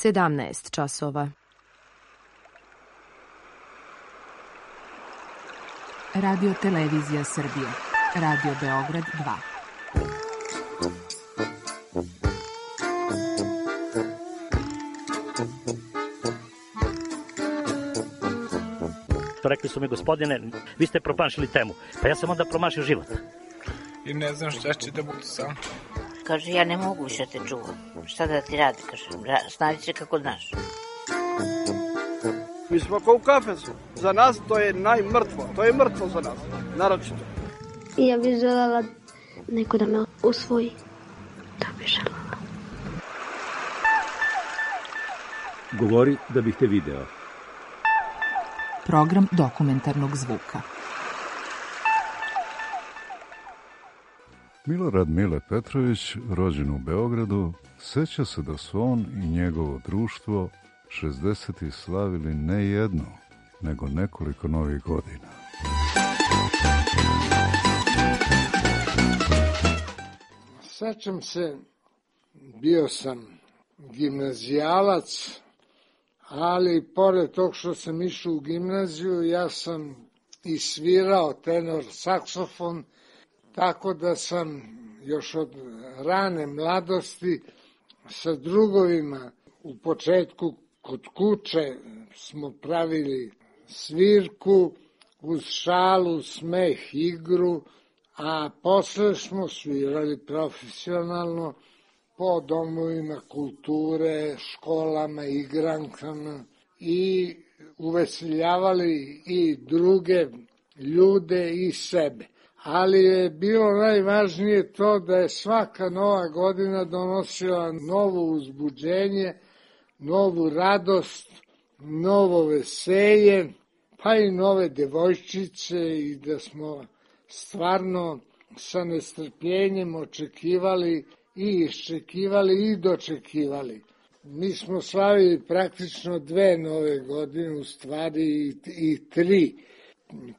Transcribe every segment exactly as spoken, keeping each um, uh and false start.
sedamnaest časova. Radio Televizija Srbije. Radio Beograd dva. Rekli su mi, gospodine, vi ste promašili temu. Pa ja sam onda promašio život. I ne znam šta će da bude sam. Kaže, ja ne mogu više te čuvam. Šta da ti radi, kaže, snađi se kako znaš. Mi smo kao u kafesu. Za nas to je najmrtvo. To je mrtvo za nas, naročito. Ja bih želela neko da me usvoji. To bih želela. Govori da bih te video. Program dokumentarnog zvuka. Milorad Mile Petrović, rođen u Beogradu, seća se da su on i njegovo društvo šezdesetih slavili ne jedno, nego nekoliko novih godina. Sećam se, bio sam gimnazijalac, ali pored tog što sam išao u gimnaziju, ja sam i svirao tenor saksofon, tako da sam još od rane mladosti sa drugovima u početku kod kuće smo pravili svirku uz šalu, smeh, igru, a posle smo svirali profesionalno po domovima kulture, školama, igrankama i uveseljavali i druge ljude i sebe. Ali je bilo najvažnije to da je svaka nova godina donosila novo uzbuđenje, novu radost, novo veselje, pa i nove devojčice i da smo stvarno sa nestrpljenjem očekivali i iščekivali i dočekivali. Mi smo slavili praktično dve nove godine, u stvari i, i tri.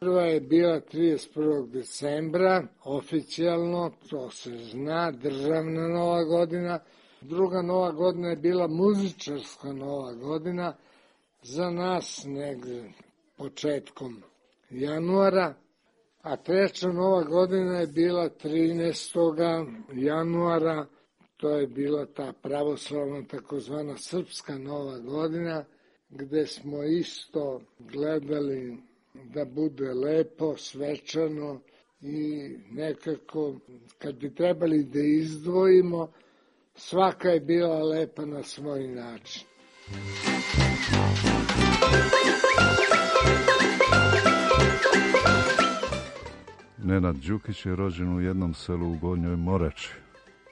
Prva je bila trideset prvog decembra, oficijalno, to se zna, državna nova godina. Druga nova godina je bila muzičarska nova godina, za nas negde početkom januara, a treća nova godina je bila trinaestog januara, to je bila ta pravoslavna takozvana srpska nova godina, gde smo isto gledali da bude lepo, svečano i nekako, kad bi trebali da izdvojimo, svaka je bila lepa na svoj način. Nenad Đukić je rođen u jednom selu u Gornjoj Morači.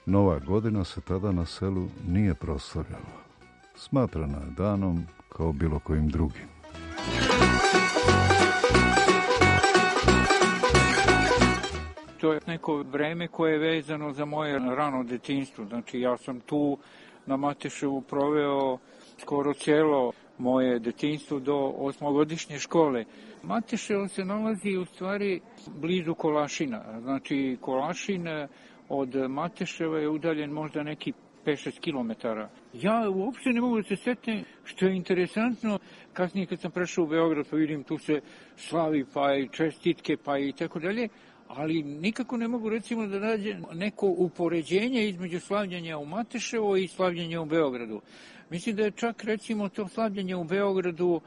Nova godina se tada na selu nije proslavljala. Smatrana je danom kao bilo kojim drugim. To je neko vreme koje je vezano za moje rano detinjstvo. Znači, ja sam tu na Mateševu proveo skoro celo moje detinjstvo do osmogodišnje škole. Mateševo se nalazi u stvari blizu Kolašina. Znači, Kolašin od Mateševa je udaljen možda neki pet šest kilometara. Ja uopšte ne mogu da se setim, što je interesantno, kasnije kad sam prešao u Beograd, pa vidim tu se slavi, pa i čestitke, pa i tako dalje, ali nikako ne mogu recimo da nađem neko upoređenje između slavljenja u Mateševo i slavljenja u Beogradu. Mislim da je čak recimo to slavljenje u Beogradu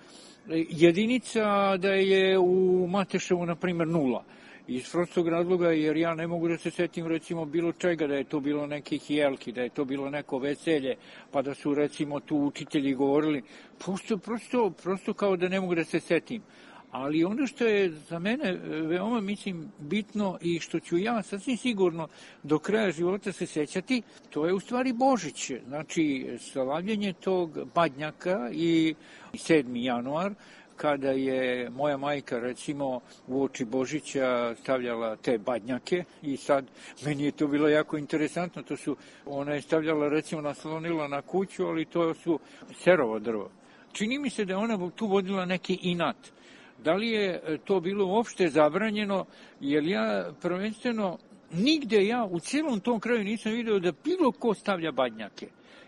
jedinica, da je u Mateševu na primjer nula. Iz prostog razloga, jer ja ne mogu da se setim recimo bilo čega, da je to bilo nekih jelki, da je to bilo neko veselje, pa da su recimo tu učitelji govorili, prosto, prosto, prosto kao da ne mogu da se setim. Ali ono što je za mene veoma, mislim, bitno i što ću ja sasvim sigurno do kraja života se sećati, to je u stvari Božić. Znači, slavljenje tog badnjaka i sedmi januar, kada je moja majka, recimo, u oči Božića stavljala te badnjake i sad, meni je to bilo jako interesantno, to su, ona je stavljala, recimo, naslonila na kuću, ali to su serovo drvo. Čini mi se da je ona tu vodila neki inat. Da li je to bilo uopšte zabranjeno, jer ja prvenstveno nigde ja u cijelom tom kraju nisam vidio da bilo ko stavlja badnjake.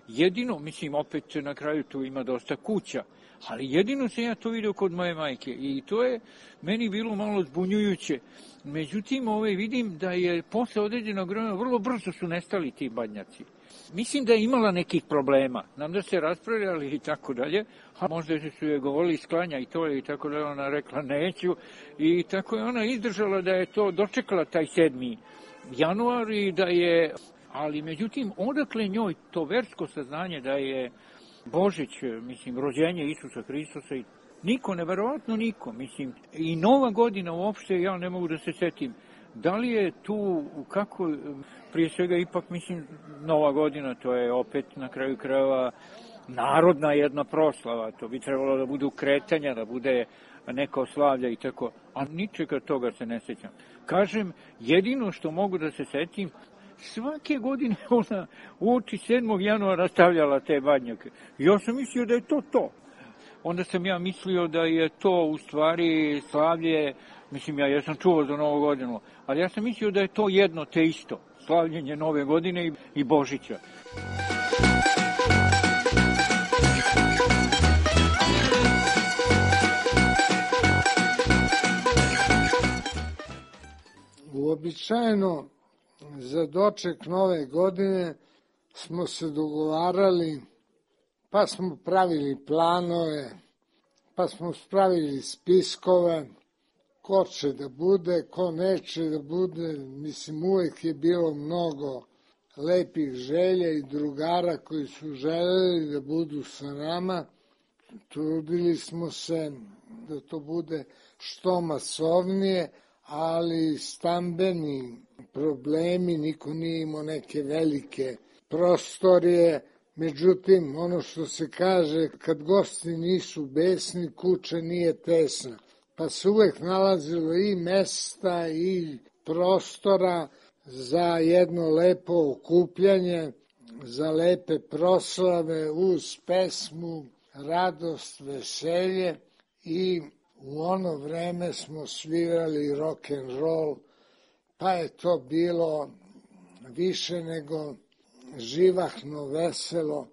jedino, mislim, opet na kraju tu ima dosta kuća, ali jedino sam ja to vidio kod moje majke i to je meni bilo malo zbunjujuće. Međutim, ovaj, vidim da je posle određenog vremena vrlo brzo su nestali ti badnjaci. Mislim da je imala nekih problema, nam da se raspravljali i tako dalje, a možda su je govorili sklanja i to je i tako da ona rekla neću i tako je ona izdržala da je to dočekala taj sedmi januar i da je, ali međutim odakle njoj to versko saznanje da je Božić, mislim, rođenje Isusa Hristosa i niko, neverovatno niko, mislim, i Nova godina uopšte ja ne mogu da se setim. Da li je tu, kako, prije svega ipak, mislim, Nova godina, to je opet na kraju krajeva narodna jedna proslava, to bi trebalo da budu kretanja, da bude neka slavlja i tako, a ničega toga se ne sećam. Kažem, jedino što mogu da se setim, svake godine ona uoči sedmog januara stavljala te badnjake. Ja sam mislio da je to to. Onda sam ja mislio da je to u stvari slavlje, mislim, ja, ja sam čuo za Novu godinu, ali ja sam mislio da je to jedno te isto, slavljenje Nove godine i, i Božića. Uobičajeno za doček Nove godine smo se dogovarali, pa smo pravili planove, pa smo spravili spiskove, ko će da bude, ko neće da bude. Mislim, uvek je bilo mnogo lepih želja i drugara koji su želeli da budu sa nama. Trudili smo se da to bude što masovnije, ali stambeni problemi, niko nije imao neke velike prostorije. Međutim, ono što se kaže, kad gosti nisu besni, kuća nije tesna. Pa se uvek nalazilo i mesta i prostora za jedno lepo okupljanje, za lepe proslave uz pesmu, radost, veselje i u ono vreme smo svirali rock and roll, pa je to bilo više nego živahno, veselo.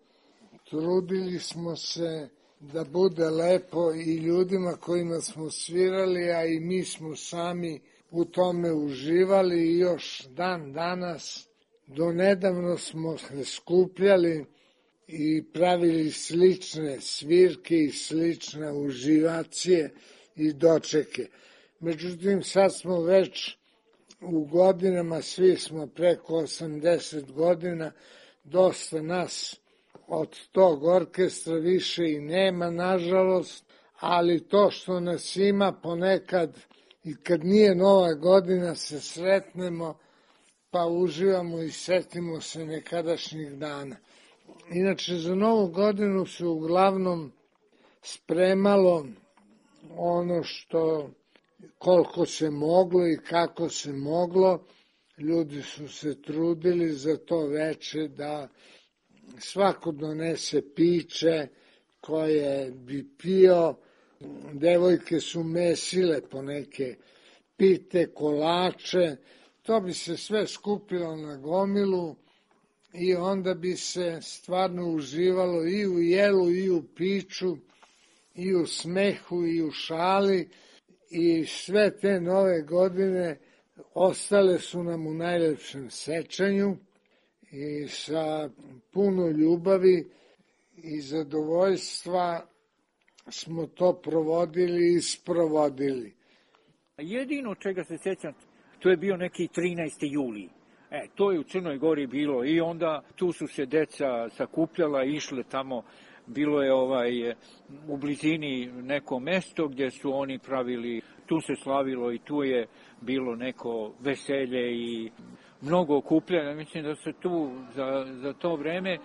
Trudili smo se da bude lepo i ljudima kojima smo svirali, a i mi smo sami u tome uživali i još dan danas. Do nedavno smo se skupljali i pravili slične svirke i slične uživacije i dočeke. Međutim, sad smo već u godinama, svi smo preko osamdeset godina, dosta nas od tog orkestra više i nema, nažalost, ali to što nas ima ponekad i kad nije Nova godina se sretnemo, pa uživamo i setimo se nekadašnjih dana. Inače, za Novu godinu se uglavnom spremalo ono što koliko se moglo i kako se moglo. Ljudi su se trudili za to veče da svako donese piće koje bi pio. Devojke su mesile po neke pite, kolače. To bi se sve skupilo na gomilu i onda bi se stvarno uživalo i u jelu, i u piću, i u smehu, i u šali. I sve te Nove godine ostale su nam u najlepšem sećanju i sa puno ljubavi i zadovoljstva smo to provodili i sprovodili. Jedino čega se sjećam, to je bio neki trinaesti juli. E, to je u Crnoj Gori bilo i onda tu su se deca sakupljala, išle tamo, bilo je ovaj u blizini neko mesto gdje su oni pravili, tu se slavilo i tu je bilo neko veselje i mnogo okupljanja. Mislim da se tu za, za to vreme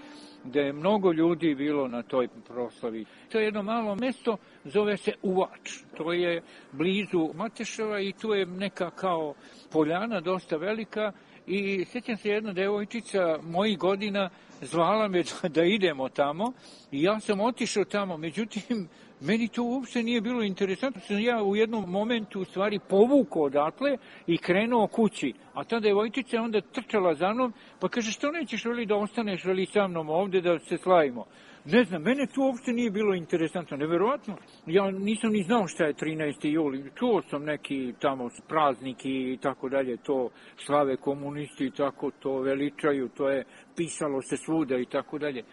da je mnogo ljudi bilo na toj proslavi. To je jedno malo mesto, zove se Uvač. To je blizu Mateševa i tu je neka kao poljana dosta velika i sjećam se jedna devojčica mojih godina zvala me da idemo tamo i ja sam otišao tamo, međutim Meni to uopšte nije bilo interesantno. Sam ja u jednom momentu u stvari povukao odatle i krenuo kući. A ta devojčica je onda trčala za mnom, pa kaže, što nećeš veli da ostaneš veli sa mnom ovde da se slavimo? Ne znam, mene to uopšte nije bilo interesantno, neverovatno. Ja nisam ni znao šta je trinaesti juli. Čuo sam neki tamo praznik i tako dalje, to slave komunisti i tako to veličaju, to je pisalo se svuda i tako dalje.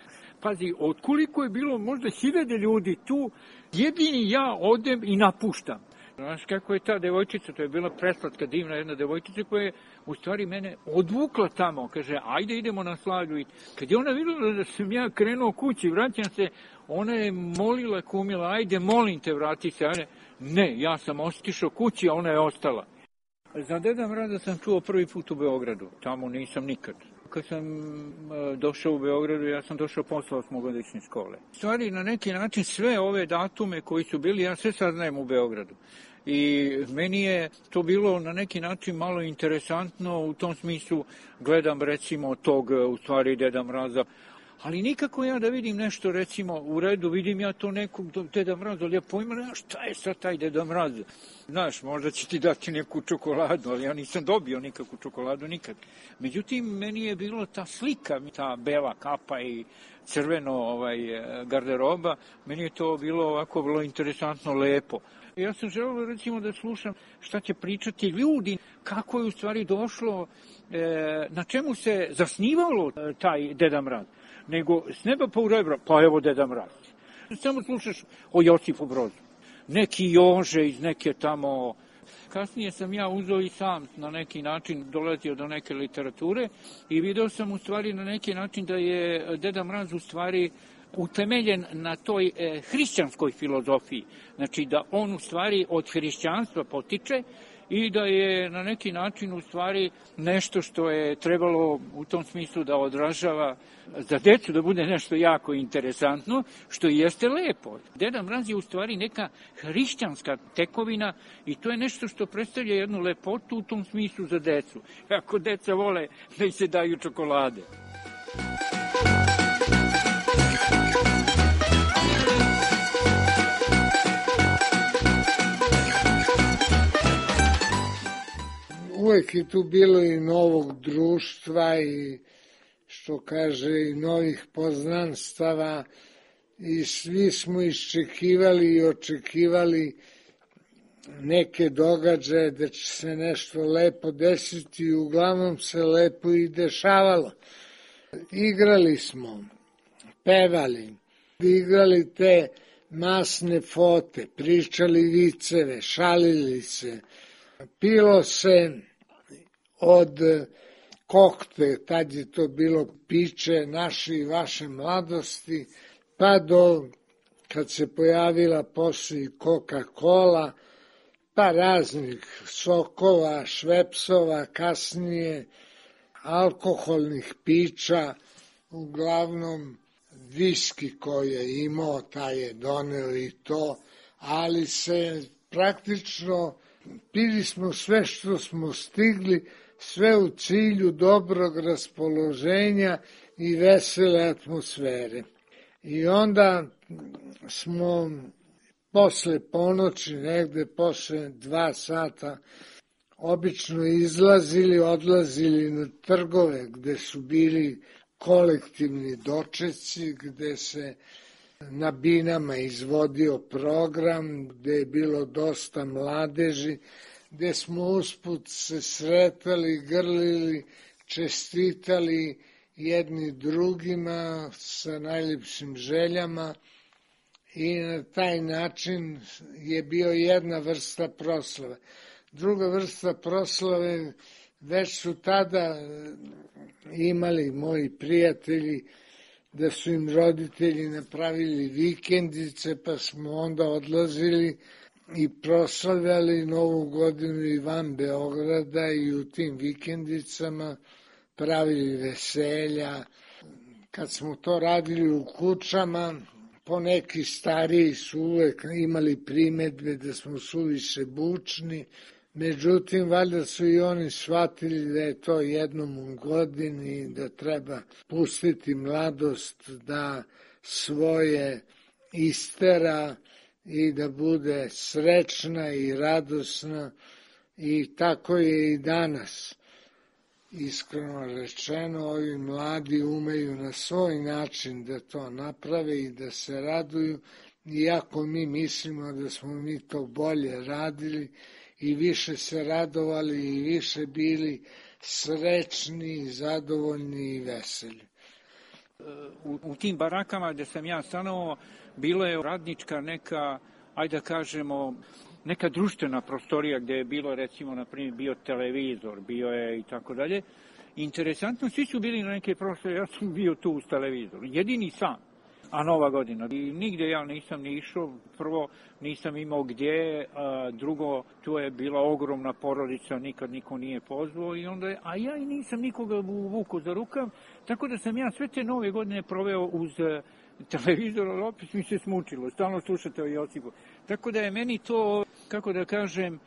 Pazi, od koliko je bilo možda hiljade ljudi tu, jedini ja odem i napuštam. Znaš kako je ta devojčica, to je bila preslatka, divna jedna devojčica koja je u stvari mene odvukla tamo, kaže, ajde idemo na slavlju. I kad je ona vidjela da sam ja krenuo kući, vraćam se, ona je molila, kumila, ajde molim te vrati se. Ne, ja sam ostišao kući, a ona je ostala. Za Deda Mraza sam čuo prvi put u Beogradu, tamo nisam nikad. Kad sam došao u Beogradu, ja sam došao posle osmogodišnje škole. U stvari, na neki način, sve ove datume koji su bili, ja sve saznajem u Beogradu. I meni je to bilo na neki način malo interesantno, u tom smislu gledam recimo tog, u stvari, Deda Mraza. Ali nikako ja da vidim nešto, recimo, u redu, vidim ja to nekog Deda Mraza, ali ja pojma, ja, šta je sad taj Deda Mraz? Znaš, možda će ti dati neku čokoladu, ali ja nisam dobio nikakvu čokoladu nikad. Međutim, meni je bilo ta slika, ta bela kapa i crveno ovaj, garderoba, meni je to bilo ovako vrlo interesantno, lepo. Ja sam želeo recimo da slušam šta će pričati ljudi, kako je u stvari došlo, e, na čemu se zasnivalo taj Deda Mraz. Nego s neba pa u rebra, pa evo Deda Mraz. Samo slušaš o Josipu Brozu. Neki Jože iz neke tamo. Kasnije sam ja uzeo i sam na neki način dolazio do neke literature i video sam u stvari na neki način da je Deda Mraz u stvari utemeljen na toj e, hrišćanskoj filozofiji. Znači da on u stvari od hrišćanstva potiče i da je na neki način u stvari nešto što je trebalo u tom smislu da odražava za decu, da bude nešto jako interesantno, što jeste lepo. Deda Mraz je u stvari neka hrišćanska tekovina i to je nešto što predstavlja jednu lepotu u tom smislu za decu. Ako deca vole da im se daju čokolade. Uvek je tu bilo i novog društva i, što kaže, i novih poznanstava i svi smo iščekivali i očekivali neke događaje da će se nešto lepo desiti i uglavnom se lepo i dešavalo. Igrali smo, pevali, igrali te masne fote, pričali viceve, šalili se, pilo se od kokte, tad je to bilo piće naše i vaše mladosti, pa do kad se pojavila posle i Coca-Cola, pa raznih sokova, švepsova, kasnije alkoholnih pića, uglavnom viski koji je imao, taj je doneo i to, ali se praktično pili smo sve što smo stigli, sve u cilju dobrog raspoloženja i vesele atmosfere. I onda smo posle ponoći, negde posle dva sata, obično izlazili, odlazili na trgove gde su bili kolektivni dočeci, gde se na binama izvodio program, gde je bilo dosta mladeži, gde smo usput se sretali, grlili, čestitali jedni drugima sa najljepšim željama i na taj način je bio jedna vrsta proslave. Druga vrsta proslave, već su tada imali moji prijatelji da su im roditelji napravili vikendice, pa smo onda odlazili i proslavljali Novu godinu i van Beograda i u tim vikendicama pravili veselja. Kad smo to radili u kućama, poneki stariji su uvek imali primedbe da smo suviše bučni, međutim, valjda su i oni shvatili da je to jednom u godini, da treba pustiti mladost da svoje istera i da bude srećna i radosna i tako je i danas. Iskreno rečeno, ovi mladi umeju na svoj način da to naprave i da se raduju, iako mi mislimo da smo mi to bolje radili i više se radovali i više bili srećni, zadovoljni i veseli. U, u tim barakama gde sam ja stanovao, bilo je radnička neka, ajde da kažemo, neka društvena prostorija gde je bilo, recimo, na primjer, bio televizor, bio je i tako dalje. Interesantno, svi su bili na neke prostorije, ja sam bio tu uz televizor, jedini sam, a Nova godina. I nigde ja nisam ni išao, prvo nisam imao gdje, a drugo, tu je bila ogromna porodica, nikad niko nije pozvao, i onda je, a ja i nisam nikoga vuku za rukav, tako da sam ja sve te Nove godine proveo uz televizor, ali opet mi se smučilo, stalno slušate o Josipu. Tako da je meni to, kako da kažem,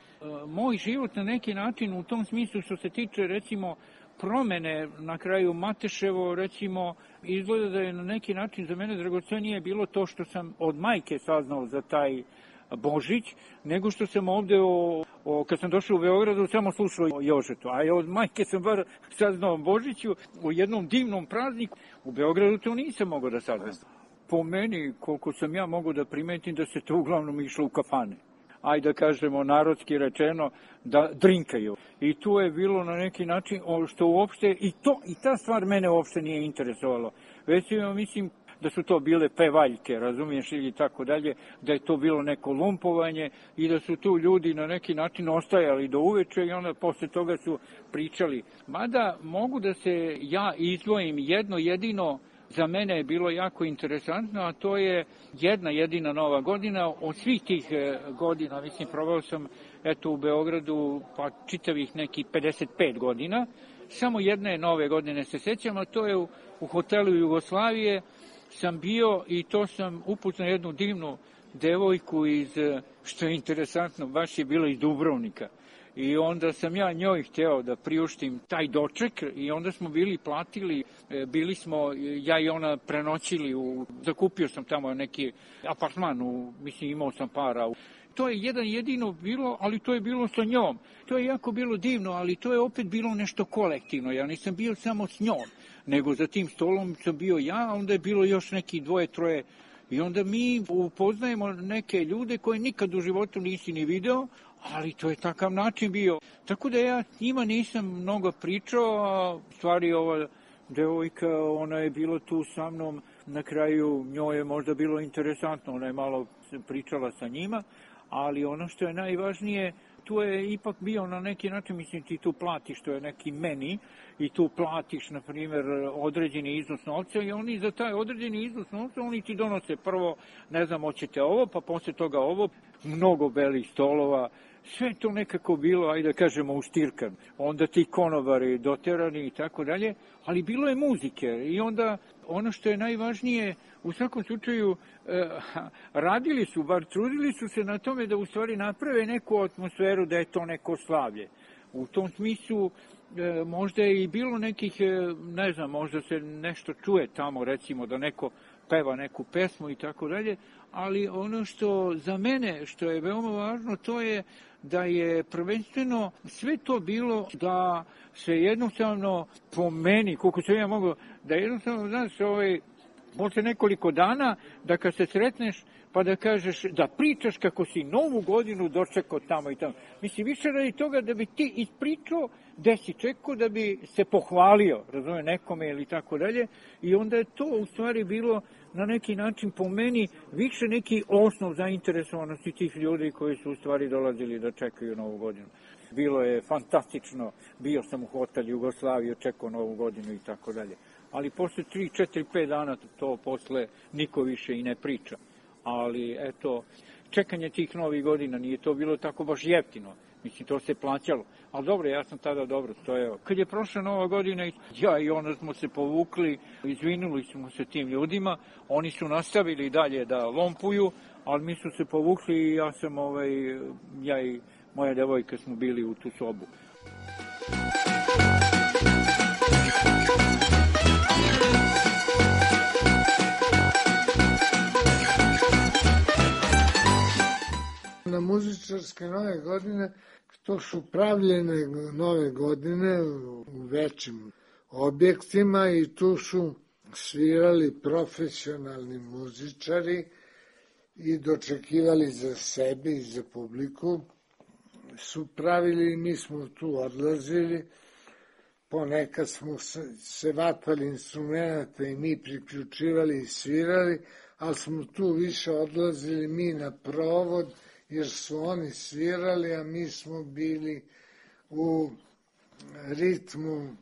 moj život na neki način u tom smislu što se tiče, recimo, promene na kraju Mateševo, recimo, izgleda da je na neki način za mene dragocenije bilo to što sam od majke saznao za taj Božić, nego što sam ovde, o, o, kad sam došao u Beogradu, samo slušao o Jožetu. A od majke sam bar saznao o Božiću, u jednom divnom prazniku. U Beogradu to nisam mogao da saznam. Po meni, koliko sam ja mogao da primetim, da se to uglavnom išlo u kafane. Ajde da kažemo, narodski rečeno, da drinkaju. I tu je bilo na neki način, što uopšte, i to i ta stvar mene uopšte nije interesovalo. Već ja mislim da su to bile pevaljke, razumiješ, ili tako dalje, da je to bilo neko lumpovanje i da su tu ljudi na neki način ostajali do uveče i onda posle toga su pričali. Mada mogu da se ja izdvojim jedno jedino. Za mene je bilo jako interesantno, a to je jedna jedina Nova godina. Od svih tih godina, mislim, proveo sam eto u Beogradu pa čitavih nekih pedeset pet godina. Samo jedne Nove godine se sećam, a to je u, u hotelu Jugoslavije sam bio i to sam upoznao jednu divnu devojku iz, što je interesantno, baš je bila iz Dubrovnika. I onda sam ja njoj hteo da priuštim taj doček i onda smo bili platili, bili smo, ja i ona prenoćili, u, zakupio sam tamo neki apartman, u, mislim imao sam para. To je jedan jedino bilo, ali to je bilo sa njom. To je jako bilo divno, ali to je opet bilo nešto kolektivno. Ja nisam bio samo s njom, nego za tim stolom sam bio ja, a onda je bilo još neki dvoje, troje. I onda mi upoznajemo neke ljude koje nikad u životu nisi ni video, ali to je takav način bio. Tako da ja njima nisam mnogo pričao, a stvari ova devojka, ona je bila tu sa mnom, na kraju njoj je možda bilo interesantno, ona je malo pričala sa njima, ali ono što je najvažnije, tu je ipak bio na neki način, mislim, ti tu platiš, to je neki meni, i tu platiš, na primjer, određeni iznos novca i oni za taj određeni iznos novca, oni ti donose prvo, ne znam, hoćete ovo, pa posle toga ovo, mnogo belih stolova, sve to nekako bilo, ajde da kažemo, uštirkan. Onda ti konobari doterani i tako dalje, ali bilo je muzike i onda ono što je najvažnije, u svakom slučaju eh, radili su, bar trudili su se na tome da u stvari naprave neku atmosferu da je to neko slavlje. U tom smislu e, možda je i bilo nekih, e, ne znam, možda se nešto čuje tamo, recimo da neko peva neku pesmu i tako dalje, ali ono što za mene, što je veoma važno, to je da je prvenstveno sve to bilo da se jednostavno po meni, koliko se ja mogu, da jednostavno, znaš, ovaj, možda nekoliko dana da kad se sretneš pa da kažeš, da pričaš kako si Novu godinu dočekao tamo i tamo. Mislim, više radi toga da bi ti ispričao gde si čekao, da bi se pohvalio, razumije, nekome ili tako dalje. I onda je to u stvari bilo na neki način po meni više neki osnov zainteresovanosti tih ljudi koji su u stvari dolazili da čekaju Novu godinu. Bilo je fantastično, bio sam u hotel Jugoslavije, čekao Novu godinu i tako dalje. Ali posle tri, četiri, pet dana to posle niko više i ne priča. Ali, eto, čekanje tih novih godina nije to bilo tako baš jeftino. Mislim, to se plaćalo. Ali dobro, ja sam tada dobro stojao. Kad je prošla Nova godina, ja i ona smo se povukli, izvinuli smo se tim ljudima, oni su nastavili dalje da lompuju, ali mi su se povukli i ja sam, ovaj, ja i moja devojka smo bili u tu sobu. Na muzičarske nove godine, to su pravljene nove godine u većim objektima i tu su svirali profesionalni muzičari i dočekivali za sebe i za publiku. Su pravili i mi smo tu odlazili. Ponekad smo se vatali instrumenta i mi priključivali i svirali, ali smo tu više odlazili mi na provod, jer su oni svirali, a mi smo bili u ritmu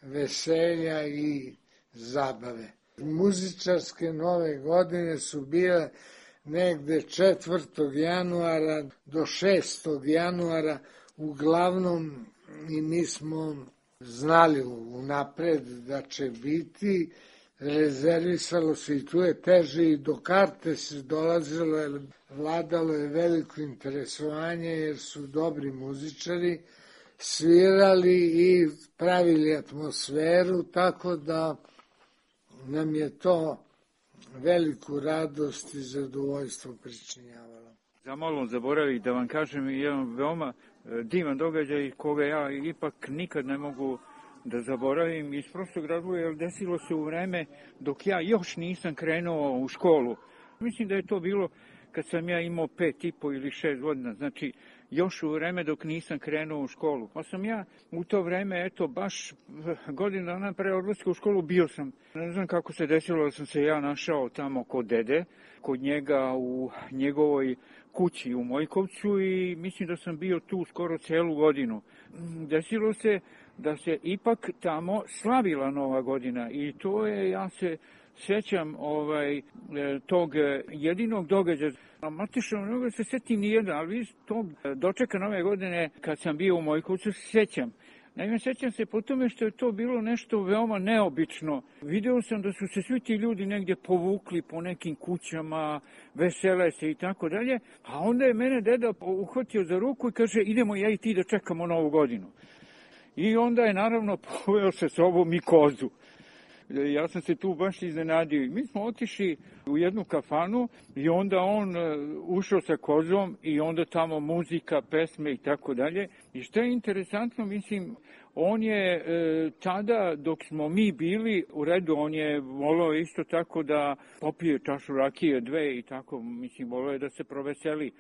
veselja i zabave. Muzičarske nove godine su bile negde četvrtog januara do šestog januara, uglavnom i mi smo znali unapred da će biti, rezervisalo se i tu je teže i do karte se dolazilo, jer vladalo je veliko interesovanje jer su dobri muzičari, svirali i pravili atmosferu, tako da nam je to veliku radost i zadovoljstvo pričinjavalo. Zamalo zaboravih da vam kažem jedan veoma divan događaj koga ja ipak nikad ne mogu da zaboravim iz prostog razloga, jer desilo se u vreme dok ja još nisam krenuo u školu. Mislim da je to bilo kad sam ja imao pet i po ili šest godina, znači još u vreme dok nisam krenuo u školu. Pa sam ja u to vreme, eto, baš godinu dana pre odlaska u školu bio sam. Ne znam kako se desilo da sam se ja našao tamo kod dede, kod njega u njegovoj kući u Mojkovcu i mislim da sam bio tu skoro celu godinu. Desilo se da se ipak tamo slavila Nova godina i to je, ja se sjećam ovaj, tog jedinog događaja. Matično, ne mogu se sjetim nijedan, ali tog dočeka Nove godine kad sam bio u Mojkovcu se sjećam. Naime, sjećam se po tome što je to bilo nešto veoma neobično. Video sam da su se svi ti ljudi negdje povukli po nekim kućama, vesele se i tako dalje, a onda je mene deda uhvatio za ruku i kaže idemo ja i ti da čekamo Novu godinu. I onda je naravno poveo sa sobom i kozu. Ja sam se tu baš iznenadio. Mi smo otišli u jednu kafanu i onda on ušao sa kozom i onda tamo muzika, pesme i tako dalje. I što je interesantno, mislim, on je e, tada dok smo mi bili u redu, on je volao isto tako da popije čašu rakije, dve i tako, mislim, volao je da se proveseli.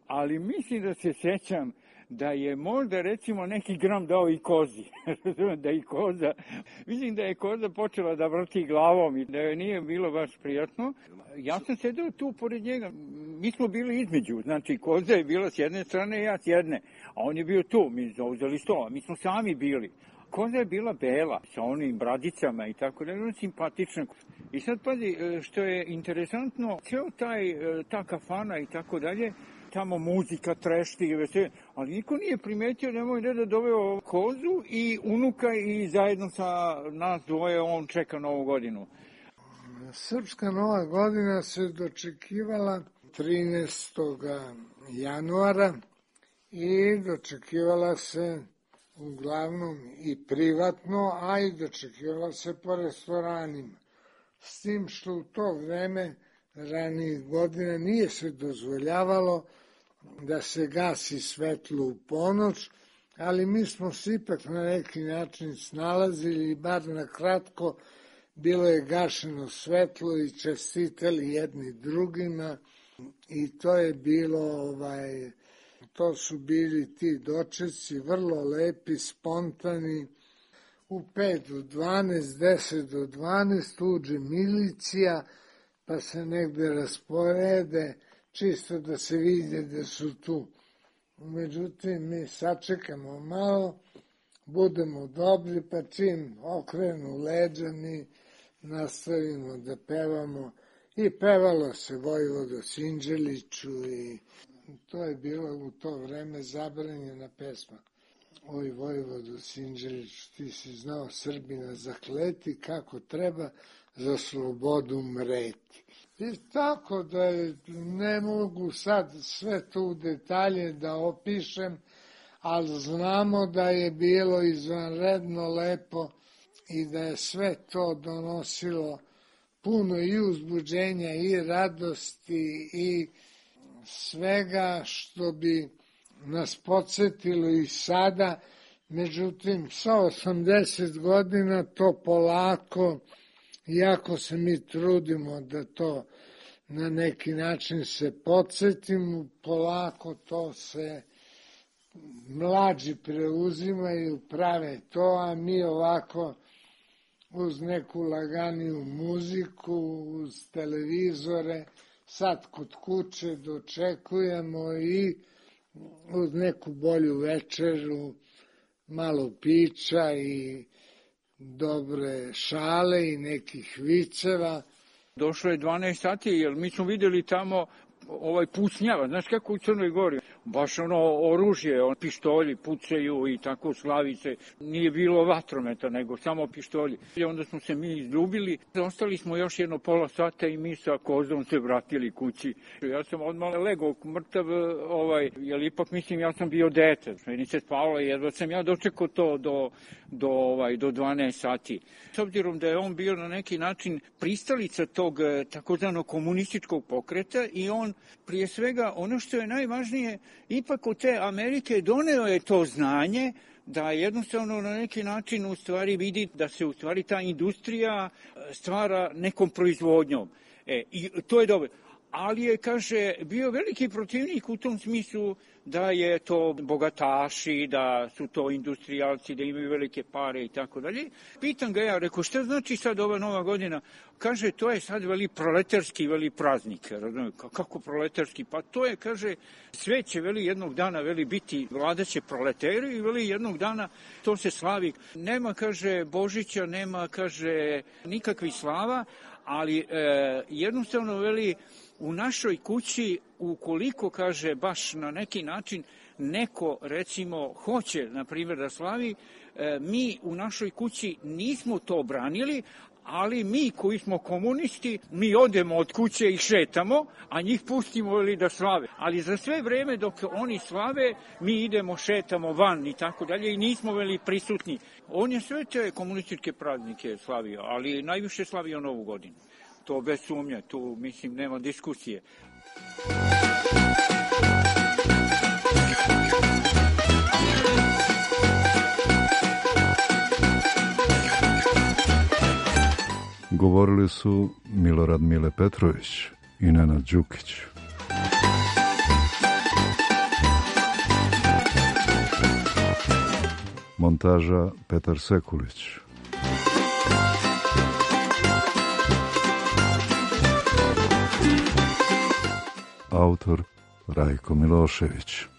Ali mislim da se sjećam da je možda recimo neki gram dao i kozi, da i koza, mislim da je koza počela da vrti glavom i da joj nije bilo baš prijatno. Ja sam sedeo tu pored njega, mi smo bili između, znači koza je bila s jedne strane i ja s jedne, a on je bio tu, mi zauzeli sto, a mi smo sami bili. Koza je bila bela, sa onim bradicama i tako da je simpatična. I sad pazi, što je interesantno, ceo taj, ta kafana i tako dalje, tamo muzika, trešti i vesel, ali niko nije primetio da je moj deda doveo kozu i unuka i zajedno sa nas dvoje on čeka Novu godinu. Srpska Nova godina se dočekivala trinaestog januara i dočekivala se uglavnom i privatno, a i dočekivala se po restoranima. S tim što u to vreme ranijih godina nije se dozvoljavalo da se gasi svetlo u ponoć, ali mi smo se ipak na neki način snalazili i bar na kratko bilo je gašeno svetlo i čestitali jedni drugima i to je bilo, ovaj, to su bili ti dočeci vrlo lepi, spontani. U pet do dvanaest, deset do dvanaest uđe milicija, pa se negde rasporede, čisto da se vidi da su tu. Međutim, mi sačekamo malo, budemo dobri, pa čim okrenu leđa, mi nastavimo da pevamo. I pevalo se Vojvodo Sinđeliću i to je bilo u to vreme zabranjena pesma. Oj, Vojvodo Sinđeliću, ti si znao Srbina zakleti kako treba za slobodu mreti. I tako da je, ne mogu sad sve to u detalje da opišem, ali znamo da je bilo izvanredno lepo i da je sve to donosilo puno i uzbuđenja i radosti i svega što bi nas podsjetilo i sada, međutim sa osamdeset godina to polako, iako se mi trudimo da to na neki način se podsjetimo, polako to se mlađi preuzimaju, prave to, a mi ovako uz neku laganiju muziku, uz televizore, sad kod kuće dočekujemo i uz neku bolju večeru, malo pića i dobre šale i nekih viceva. Došlo je dvanaest sati, jer mi smo vidjeli tamo ovaj pucnjava, znaš kako u Crnoj Gori, baš ono oružje, on, pištolji pucaju i tako slavice, nije bilo vatrometa, nego samo pištolji. I onda smo se mi izljubili, ostali smo još jedno pola sata i mi sa kozom se vratili kući. Ja sam odmah legao mrtav, ovaj, jer ipak mislim ja sam bio dete, meni se spavalo, jedva sam ja dočekao to do, do, ovaj, do dvanaest sati. S obzirom da je on bio na neki način pristalica tog takozvanog komunističkog pokreta i on prije svega ono što je najvažnije, ipak od te Amerike doneo je to znanje da jednostavno na neki način u stvari vidi da se u stvari ta industrija stvara nekom proizvodnjom. E, i to je dobro. Ali je, kaže, bio veliki protivnik u tom smislu da je to bogataši, da su to industrijalci, da imaju velike pare i tako dalje. Pitam ga ja, rekao, šta znači sad ova nova godina? Kaže, to je sad veli proletarski, veli praznik. Razumije, kako proletarski? Pa to je, kaže, sve će veli jednog dana veli biti, vladaće proleteri i veli jednog dana to se slavi. Nema, kaže, Božića, nema, kaže, nikakvih slava, ali e, jednostavno veli u našoj kući, ukoliko, kaže, baš na neki način neko, recimo, hoće, na primjer, da slavi, e, mi u našoj kući nismo to branili, ali mi koji smo komunisti, mi odemo od kuće i šetamo, a njih pustimo veli da slave. Ali za sve vreme dok oni slave, mi idemo, šetamo van i tako dalje i nismo veli prisutni. On je sve te komunističke praznike slavio, ali najviše slavio Novu godinu. To bez sumnje, tu mislim nema diskusije. Govorili su Milorad Mile Petrović i Nenad Đukić. Montaža Petar Sekulić. Autor Rajko Milošević.